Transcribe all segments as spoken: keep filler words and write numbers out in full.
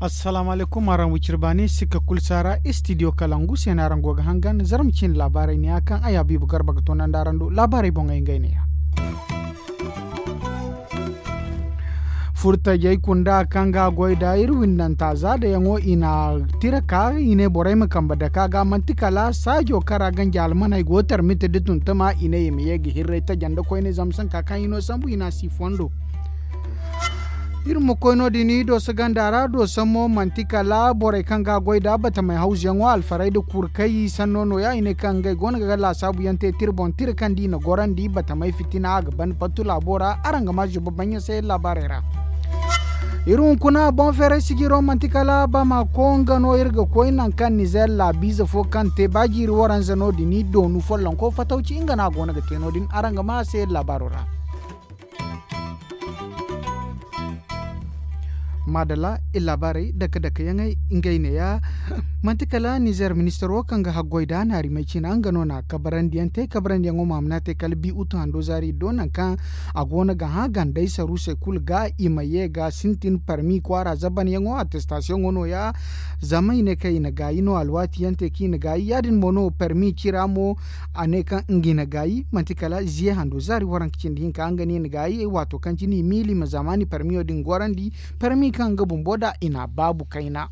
Assalaamu alaykum, araŋ wiciri baani sikka kulu saara istidiyo kalangu se no araŋ go ga hangan zarma ciine laabaarey ne ya kaŋ ay habiibu garba ga toonandi araŋ do laabaarey boŋey ngey ne ya. Furtajey kunda kaŋ ga a goy da iri windanta zaadayaŋo i na tira ka i ne borey ma kambe dake a ga manti kala saajo kaŋ ra ganji almaney go tarmite da tuntuma i ne i ma ye ga hirray taja nda koyne zama sanka kaŋ i no sambu i na a si fondo. Iri ma koy no- din i dooso ganda ra dooso mo manti kala borey kaŋ ga a goy da batamey hawzuyaŋo alfarey nda kurkey sanno no- ya i ne kaŋ ngey go no ga laasaabu yaŋ te tira boŋ tira kaŋ da i na gorandi batamey fitina a ga ban pattu laabo ra araŋ ga ma zuba baŋ yaŋ se laabaarey ra. Iri hunkuna boŋ feeray sijiro manti kala bamako nga no iri ga koy nangu kaŋ nizer laabiize fo kaŋ te ba jiiri waranza no- din i doonu follonko fatawci nga no a go no ga te no- din araŋ ga ma a se laabaaro ra. Maadalla, iri laabaarey dake dake yaŋey ngey ne- ya. Manti kala nizer ministaro kaŋ ga haggoy da naarimey ciina nga no na kabarandiyaŋ te kabarandiyaŋo ma a ma na te kala bi utu hando zaari do nangu kaŋ a go no ga hã gandey saruusey kulu ga i ma ye ga sintin parmi kwaara zabanyaŋo attestasiyoŋo no- ya. Zama i ne kaŋ i na gaayi no alwaati yaŋ te kaŋ i na gaayi ya- din mo no parmi cira mo a ne kaŋ nga i na gaayi manti kala ziye hando zaari waranka cindi hinka nga no i na gaayi waato kaŋ cine i miila i ma zamaani parmiyo din gorandi parmi kaŋ nga bumbo nd'a i na a baabu kayna.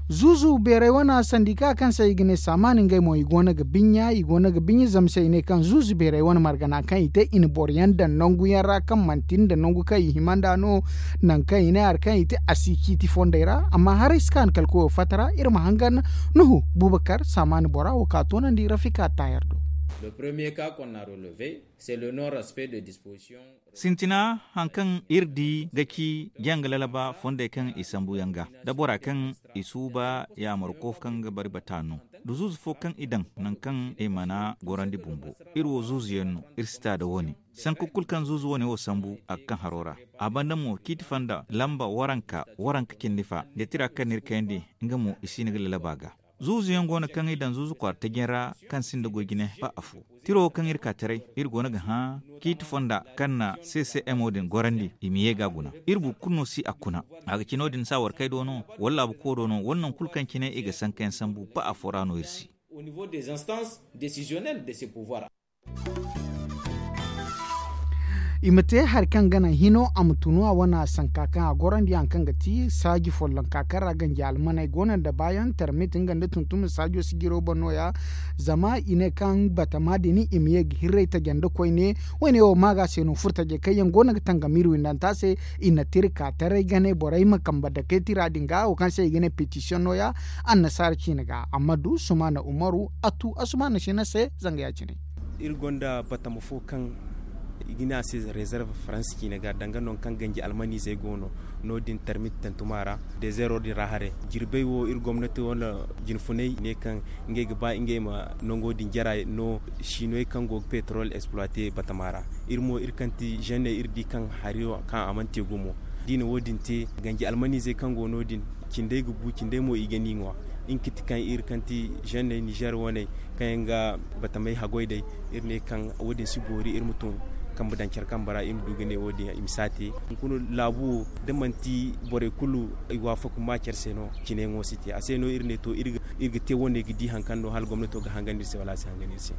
Zuuzu beeray wane sandika kaŋ se i ga ne saamaan ngey mo i go no ga binya i go no ga binya zama se i ne kaŋ zuuzu beeray wane margana kaŋ i te i na boro yaŋ daŋ nangu yaŋ ra kaŋ manti nda nangu kaŋ i hima nd'a no. Nangu kaŋ i ne hari kaŋ i te a si ciiti fondey ra amma haray si ka ni kala koyo fatta ra iri ma hangan nuhu buubakar saamaan bora wo ka toonandi rafika taayar do. Le premier ka konna releve c'est le non respect de disposition. Sintina hari kaŋ iri di ga ci janga lalaba fondey kaŋ i sambu yaŋ ga da bora kaŋ i suuba yaamar kofu kaŋ ga bari bata no da zuuzu fo kaŋ i daŋ nangu kaŋ i mana gorandi bumbo. Iri wo zuuzu yaŋ no iri si ta da wo- ne sanku kulu kaŋ zuuzu wo- ne wo sambu a ga kaŋ haro ra. A banda mo ciiti fonda lamba waranka waranka cindi fa da tira kaŋ no iri kayandi nga mo i si hin ga lalaba ga. Zuuzu yaŋ go no kaŋ i daŋ zuuzu kwaara taji yaŋ ra kaŋ sinda goy jine ba afo. Tiro wo kaŋ iri ka taray iri go no ga hã ciiti fonda kaŋ na ccmo din gorandi i ma ye ga a guna. Iri boro kulu no si a kuna a ga ci no- din saawar kay do no wala laabu kooro no wala nangu kulu kaŋ cine i ga sanka yaŋ sambu ba afo ra no iri si. Au niveau des instances décisionnelles de ces pouvoirs. I ma te hari kaŋ ga naŋ hino a ma tunu a wane a sanka kaŋ a gorandi hari kaŋ ga ti saaji follonka kaŋ ra ganji almaney go no nda baayaŋ tarmit nga nda tuntume saajo sijiro boŋ no- ya. Zama i ne kaŋ batama din i ma ye ga hirray taja nda koyne. Woyne wo maaga se no furtajey kaŋ yaŋ go no ga tangam iri windanta se i na tira ka taray ga ne borey ma kambe dake tira din ga wo kaŋ se i ga ne petisiyoŋ no- ya. Annasaara ciine ga amma du sumaana umaru a tu asumaana sina se zanga ya- cine. Iri gonda batama fo kaŋ i ga ne a se rezerve faransa ciine ga danga nangu kaŋ ganji almaniizey go no no- din tarmit tantuma ra dezeero din ra haray. Jirbey wo iri gomnati wane jinfunay ne kaŋ ngey ga ba ngey ma nango din jara no. Siinoy kaŋ go ga petrol exploite batama ra iri mo iri kaŋ ti zenne iri di kaŋ hari kaŋ a mana te gumo. Da i na wo- din te ganji almaniizey kaŋ go no- din cindey ga bu cindey mo i ga ni ŋwa. Nga ga ti kaŋ iri kaŋ ti zenney nizer waney kaŋ yaŋ ga batamey haggoy day. Iri ne kaŋ wo- din si boori iri ma tun kambe daŋ care kambe ra iri ma du ga ne wo- din i ma si a te. Hunkuna laabu wo da manti borey kulu i waafaku ma care se no. Cine yaŋo si te a se no iri ne to iri ga te wo- ne ga di hari kaŋ no hala gomnato ga hangan iri se wala a si hangan iri se.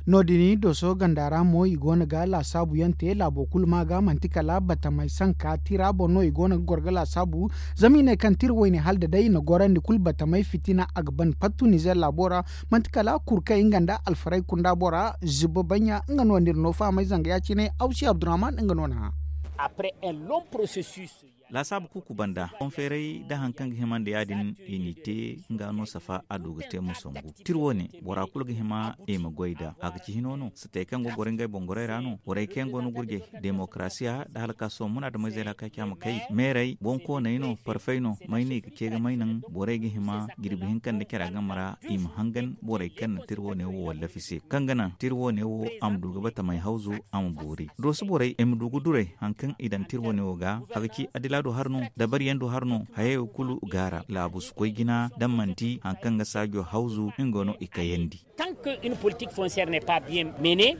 No- din dooso ganda ra mo i go no ga laasaabu yaŋ te laabo kulu ma ga manti kala batamey sanka tira boŋ no i go no ga goro ga laasaabu. Zama i ne kaŋ tira wayne hala da day i na gorandi kulu batamey fitina a ga ban pattu nizer laabo ra. Manti kala kurkey nga nda alfarey kunda bora zuba baɲɲa nga no nda iri no fahamay zanga ya- cine awsi abdurrahman nga no na hã. Après un long processus. Laasaabu kuuku banda boŋ feeray da hari kaŋ ga hima nda ya- din i n'i te nga no safa a du ga te ma songu. Tira wo- ne bora kulu ga hima i ma goy nd'a a ga ci hino no satey kaŋ go ga goro ngey boŋ gorey ra no borey kaŋ yaŋ go no gurjey demokarasiya nda hala ka sohõ munaadameyzey ra ka ci a ma kay meerey boŋkooney no parfey no may no i ga ce ga may naŋ borey ga hima jirbi hinka nda care a game ra i ma hangan borey kaŋ na tira wo- ne wo wallafi se kaŋ ga naŋ tira wo- ne wo a ma du ga batamey hawzu a ma boori dooso borey i ma du ga duray hari kaŋ i daŋ tira wo- ne wo ga a ga ci adila. Do har no dabari yaŋ do har no hayey wo kulu gaara laabu si koy jina da manti hari kaŋ ga saajo hawzu nga no i kayandi. Tant que une politique foncière n'est pas bien menée.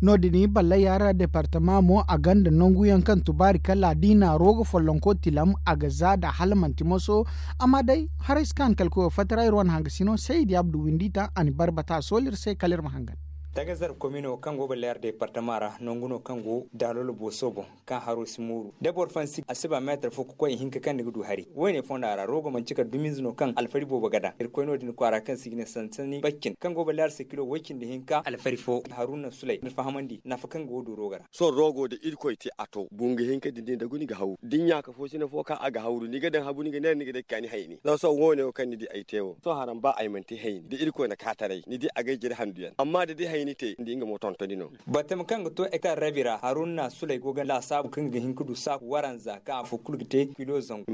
No- din balla yaara departama mo a gonda nangu yaŋ kaŋ tubaari kala da i na roga follonko tilam a ga za da hala manti moso. Amma day haray si kaanu kala koyo fatta ra iri wane hangasino saydi abdu windi taŋ a na barbata a sooli iri se kala iri ma hangan. Tagazar komino kaŋ go balla yaara departama ra nangu no kaŋ go daalolo booso boŋ kaŋ haro si mooru da boro fansi a si ba meetar fo ga koy ihinka kaŋ ni ga du hari wo- ne fonda ra rogo manci kala dumiize no kaŋ alfari boobo ga daŋ iri koy no- din kwaara kaŋ se i ga ne sansani baccin kaŋ go balla yaara se kilo woy cindi hinka alfari fo haruna sulay ni fahamandi nafa kaŋ ga wo du rogo ra. Sohõ rogo da irkoy te a to bungu hinka din din da guni ga hawru da ni ɲaaka fo sina fo kaŋ a ga hawru ni ga daŋ habu ni ga neera ni ga day ga kaani hayni zama sohõ wo- ne wo kaŋ ni di ay te wo sohõ haraŋ ba ay mana te hayni da irkoy na kaataray ni di a ga ay jire handu yaŋ amma da day hayni te ni di nga mo tontoni no. Batama kaŋ ga to hektar rabi ra haruna sulay go ga laasaabu kaŋ ga hin ga du saaku waranza kaŋ afo kulu ga te kilo zangu.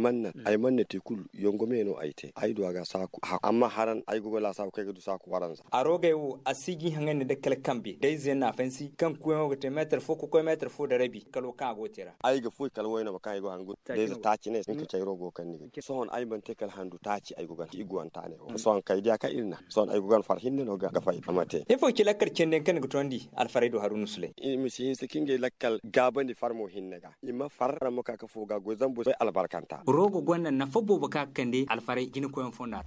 Ay mana te kulu yongo me no ay te ay du a ga saaku hakku amma haraŋ ay go ga laasaabu kaŋ ay ga du saaku waranza. A roogay wo a si ga i haŋandi nda kala kambe day ize yaŋ no a fansi kaŋ kuuyaŋo ga te meetar fo ga koy meetar fo nda rabi kalo kaŋ a go ga te ra. Ay ga foy kala wayna ma kaŋ ay go ga hangu day ize taaci ne hinka cayro go kaŋ ni ga te sohõ ay mana te kala handu taaci ay go ga handu i go ga handu sohõ kay diya kaŋ iri na sohõ ay go ga far hinne no ga fay a ma te. Ifo ga ci lakkal cindi yaŋ kaŋ ni ga tondi alfaray do haruna sulay. I ma si hinse kaŋ ngey lakkal gaabandi farmo hinne ga i ma far ramma ka ka fo ga goy zambo soy albarkanta. Rogo gonda nafa boobo ka ga kande alfaray jina koyaŋ fonda ra.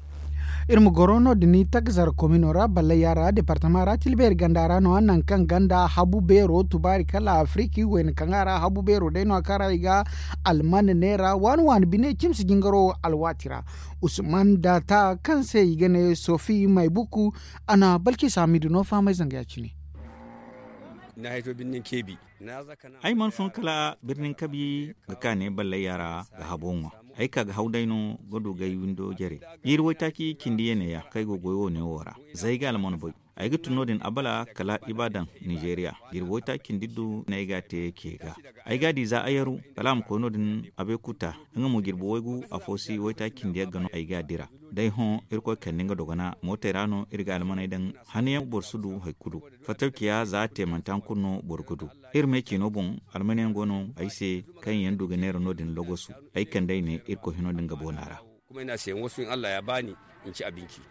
Iri ma goro no- din tagazar komino ra balla yaara departama ra tilbeeri ganda ra no a naŋ kaŋ ganda habu beero tubaari kala afiriki wayna kaŋ a ra habu beero day no a kaŋ ra i ga alman neera waani waani bine cimsi jingaro alwaati ra. Usman daata kaŋ se i ga ne sofi maybuku a na balki saamidu no fahamay zanga ya- cine. Ay mana fun kala birnin kabi ga kaane ballay yaara ga habo ŋwa. Ay ka ga haw day no ga du gay windo jare jiiri waytaaci cindi yeeney ya kaŋ ay go ga goy wo- ne wo ra. Za ay ga alman bay ay ga tun no- din abala kala i ba daŋ nizeeriya jirbi waytaaci cindi du no ay ga a te ce ga. Ay ga a di za ayaru kala a ma koy no- din abekuta nga mo jirbi waygu afo si waytaaci cindi yagga no ay ga a dira. Day hõ irkoy kande nga dogona mootey ra no iri ga almaney daŋ. Hanayaŋ boro si du hari kulu fattaw ciya za a te manti hari kulu no boro ga du. Iri me ciino boŋ almanyaŋ go no ay se kaŋ yaŋ du ga neera no- din logosu. Ay kande ay ne irkoy hino din ga boona ra. Kuma ay ne a se yaŋ wasu yaŋ allah ya ba ni. Ni ci abinci.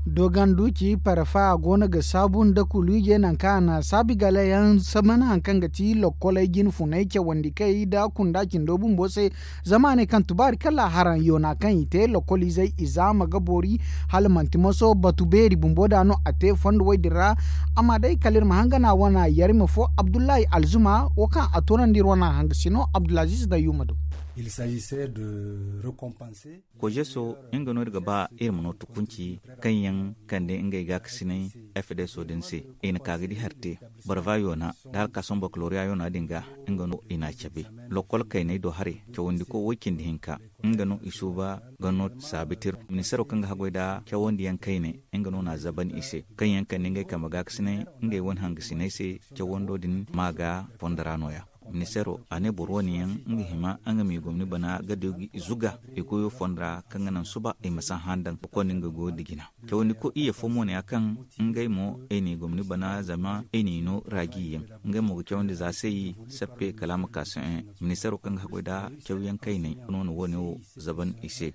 Dogandu ci parfa go no ga saabu nda kuluuje nangu kaŋ a na saabi gala yaŋ samana hari kaŋ ga ti lokkoley jinfuney cawandi kay nda kunda cindo bumbo se. Zama a ne kaŋ tubaari kala haraŋ yoona kaŋ i te lokkoliizey i zaama ga boori hala manti moso batu beeri bumbo da no a te fondo wey din ra. Amma day kala iri ma hangana wana yarima fo abdullahi alzuma wo kaŋ a toonandi iri wana hangasino abdulaziz da yuma do. Kojeso nga no iri ga ba iri ma no tukunci kaŋ yaŋ kande ngey gaakasinay fdso din se. I na ka ga di hari te barva yoona da hari ka sohõ bakaloriya yoona din ga nga no i n'a cabe. Lokkol kayney do haray cawandiko way cindi hinka nga no i suuba ga no saabitir ministaro kaŋ ga haggoy nda cawandiyaŋ kayne nga no n'a zaban i se kaŋ yaŋ kande ngey kambe gaakasinay ngey wane hangasinay se. Cawando din ma ga fondo ra no- ya ministaro a ne boro wane yaŋ nga hima nga m'i gomni bana ga du ga i zuga i goyo fondo ra kaŋ ga naŋ suba i ma si a handaŋ ga konda nga goyo nda jina. Cawandi koy iyye fo mo ne ya kaŋ ngey mo i n'i gomni bana zama i n'i no raaji yaŋ. Ngey mo ga cawandi za se i sappe kala a ma ka sohõ. Ministaro kaŋ ga haggoy nda cawyaŋ kayney no na wo- ne wo zaban i se.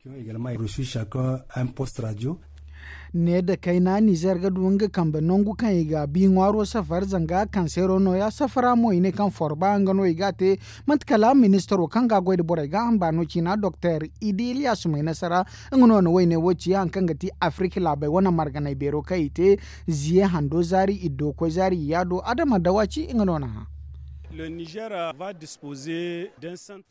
Ne nda kayna nizer ga du nga kambe nangu kaŋ i ga bi ŋwaaro safar zanga kaŋ seero no- ya safara mo i ne kaŋ forba nga no i ga a te. Manti kala ministaro kaŋ ga a goy nda borey ga hamba no ciina doktor idi iliyas may nasara nga no na wayne wo ci hari kaŋ ga ti afirika laabey wane marganay beero kaŋ i te ziye hando zaari iddo koy zaari iyaado adama dawa ci nga no na hã.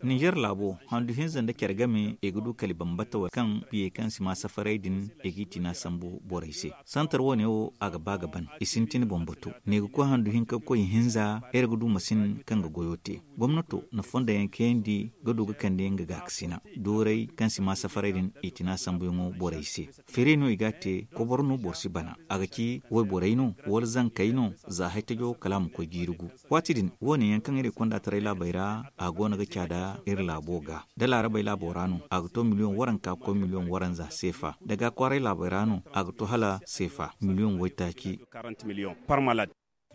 Nizer laabo handu hinza nda care game i ga du kala i bambata wala kaŋ biyey kaŋ si ma safaray din i g'i tina sambu borey se. Santar wo- ne wo a ga ba ga ban i sintin boŋ batu. Ne ga koy handu hinka ga koy i hinza iri ga du masin kaŋ ga goyo te. Gomnato na fondo yaŋ kayandi ga du ga kande nga gaakasina dooray kaŋ si ma safaray din i tina sambuyaŋo borey se. Feere no i ga a te koboro no boro si bana a ga ci wayborey no wala zankey no za haytajo kala a ma koy jiiri gu. Waati din wo- ne yaŋ kaŋ iri konda taray laabey ra a go no ga caada iri laabo ga da laarabey laabo ra no a ga to miliyoŋ waranka koy miliyoŋ waranza seefa da ga kwaaray laabey ra no a ga to hala seefa miliyoŋ waytaaci.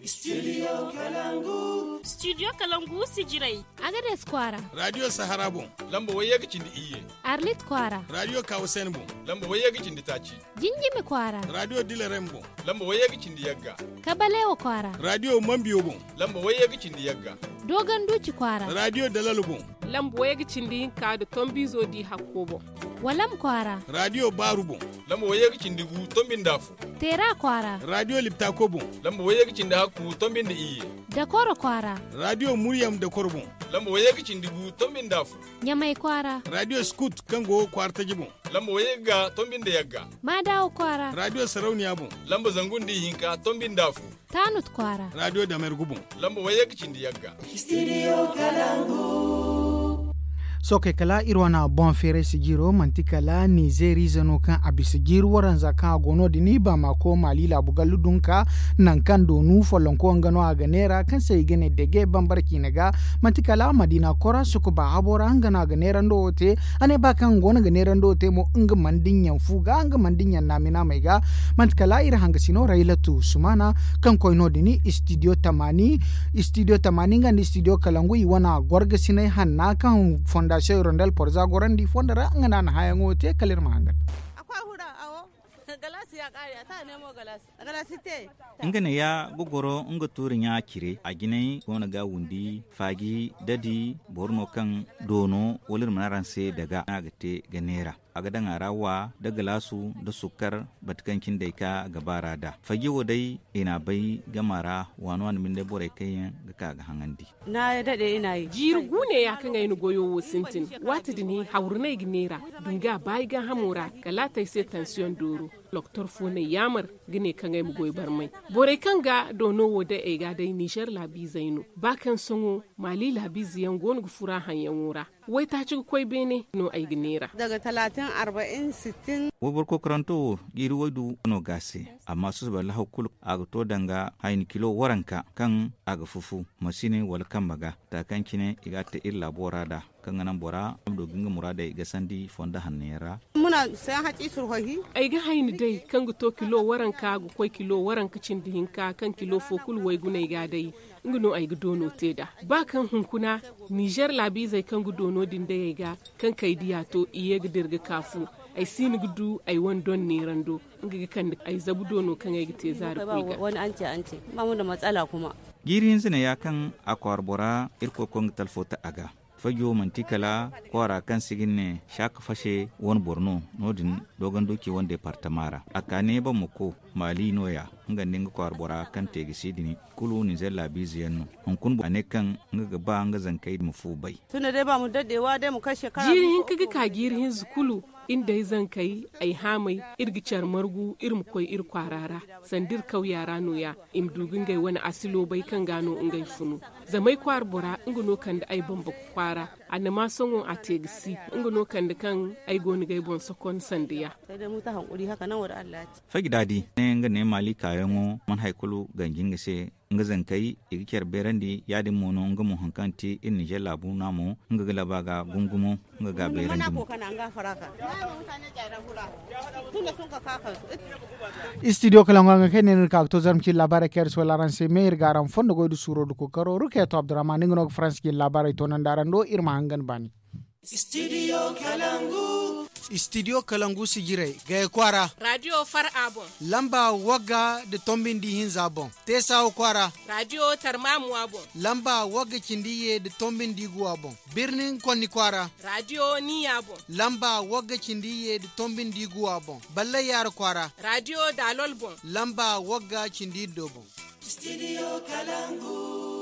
Studio kalangu. Studio kalangu sijirey. Agades kwaara. Radio sahara boŋ. Lamba wayye ga cindi iyye. Arlit kwaara. Radio kawasen boŋ. Lamba wayye ga cindi taaci. Jinjimi kwaara. Radio dilarem boŋ. Lamba wayye ga cindi yagga. Kabalewa kwaara. Radio mambiyo boŋ. Lamba wayye ga cindi yagga. Dogon duuci kwaara. Radio dalalo boŋ. Lamba wayye ga cindi hinka da tombizo di hakko boŋ. Walam kwaara. Radio baaru boŋ. Lamba wayye ga cindi gu tombinda fu. Teera kwaara. Radio liptako boŋ. Lamba wayye ga cindi hakku tombinda iyye. Dakoro kwaara. Radio muryam dakoro boŋ. Lamba wayye ga cindi gu tombinda fu. Ɲamay kwaara. Radio skut kaŋ go kwaara taji boŋ. Lamba wayye ga tombi nda yagga. Maadawa kwaara. Radio sarauniya boŋ. Lamba zangu nda ihinka tombi nda fu. Taanut kwaara. Radio damergu boŋ. Lamba wayye ga cindi yagga. Studio kalangu. Sookey kala iri wane boŋ feeray sijiro manti kala nizeeriize no kaŋ a bisa jiiri waranza kaŋ a go no- din i ba maako maali laabu gallu dunka. Nangu kaŋ doonu follonko nga no a ga neera kaŋ se i ga ne dege bambara ciine ga. Manti kala madiina kora sukuba habo ra nga no a ga neerando wo te. A ne ba kaŋ nga go no ga neerando wo te mo nga mana dinya fu ga nga mana dinya naami naamey ga. Manti kala iri hangasino raylatu sumaana kaŋ koy no- din istidiyo tamaani. Istidiyo tamaani nga nda istidiyo kalangu i wane gorgasiney hanna kaŋ fondasiyoŋ irondel porza gorandi fondo ra nga no a na hããyaŋo te kala iri ma hangan. Nga ne ya ga goro nga tuuri ɲa cire a jinay go no ga wundi faaji dadi boro no kaŋ doono wala iri mana araŋ se daga no a ga te ga neera. A ga daŋ a ra wa da galaasu da sukkar bate kaŋ cine day ka ga baara da faaji wo day i n'a bay gama ra waano a na binde borey kaŋ yaŋ ga ka ga haŋandi. Jiiri guune ya kaŋ ay na goyo wo sintin. Waati din hawru no ay ga neera dunga baayi gaahamo ra kala a te ay se tansiyoŋ dooro. Doktor fo no ay yaamar ga ne kaŋ ay ma goy barmay. Borey kaŋ ga doono wo day ay ga day ninzeer laabiizey no ba kaŋ sohõ maali laabiize yaŋ go no ga fura haŋyaŋo ra. Waytaaci ga koy beene no ay ga neera. Wayboro kokoranto wo jiiri waydu no ga a se. Amma susubay lahaw kulu a ga to danga hayni kilo waranka kaŋ a ga fufu masine wala kambe ga. Za kaŋ cine i ga a te iri laabo ra nd'a kaŋ ga naŋ bora a ma du ga nga muraadey gasandi fondo hanno yaŋ ra. Ay ga hayni day kaŋ ga to kilo waranka ga koy kilo waranka cindi hinka kaŋ kilo fo kulu wayguney ga a day. Nga no ay ga doono te nd'a ba kaŋ hunkuna ninzeer laabiizey kaŋ ga doono din day ay ga kaŋ kay diya to i ye ga dira ga ka fu. Ay si hin ga du ay wane doŋ neerando nga ga kande ay zabu doono kaŋ ay ga te zaari koy ga. Jiiri hinza ne ya kaŋ a kwaara bora irkoy koy nga talfo ta a ga. Fajo manti kala kwaara kaŋ se i ga ne saaka fase wane boro no. No- din doogon duuci wane deepartama ra a ka ne boro ma ko maali no- ya nga nda nga kwaara bora kaŋ te ga si din kulu ninzeer laabiize yaŋ no. Hunkuna a ne kaŋ nga ga ba nga zankey ma fu bay. Jiiri hinka ga ka jiiri hinza kulu iri nda ay zankey ay haamay iri ga care margu iri ma koy iri kwaara ra. Sanda iri kawya ra no- ya i ma du ga ngey wane asilo bay kaŋ ga no ngey funu. Zama ay kwaara bora nga no kande ay bambaku kwaara. Annama sohõ a te ga si nga no kande kaŋ ay go no ga ay boŋ sokon sanda ya. Fajdaadi ne nga ne maali kaayaŋo mana hari kulu ganji nga se. Nga zankey i ga care beerandi ya- din mo no nga mo hari kaŋ ti iri ninzeer laabu naamo nga ga laba ga gungumo. Nga ga beerandi mo. Istidiyo kala nga kaŋ ne no iri ka ga to zarma cine laabaarey kaŋ iri si wala araŋ se me iri ga araŋ fondo goy nda suuro nda kookaro rukeeto abdurrahman nga no ga faransa cine laabaarey toonandi araŋ do iri ma hangan baani. Istidiyo kalangu sijirey gaya kwaara. Radiyo far a boŋ. Lamba wagga nda tombi nda ihinza boŋ. Teesawa kwaara. Radiyo tarmamuwa boŋ. Lamba wagga cindi iyye nda tombi nda iguwa boŋ. Birnin konni kwaara. Radiyo niya boŋ. Lamba wagga cindi iyye nda tombi nda iguwa boŋ. Ballay yaara kwaara. Radiyo daalol boŋ. Lamba wagga cindi iddo boŋ. Studio kalangu.